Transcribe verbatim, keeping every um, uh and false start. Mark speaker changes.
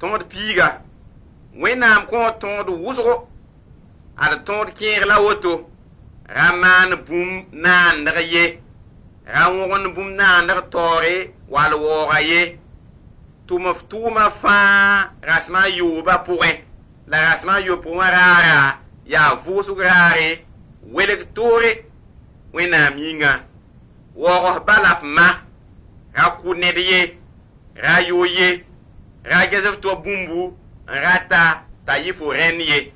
Speaker 1: Tõod piiga, Wẽnnaam kõo tõod wʋsgo, ad tõod kẽeg la woto, ra maan bũmb naandg ye, ra wõgend bũmb naandg taoore wall waooga ye, tʋm f tʋʋma fãa rasem a yoobã pʋgẽ, la rasem a yopoe wã raara yaa vʋʋsg raare, welg toore Wẽnnaam yĩnga. Waoog f ba la f ma, ra kʋ ned ye, ra yo ye, ra ges f to bũmbu n rata t'a yɩ fo rẽnd ye.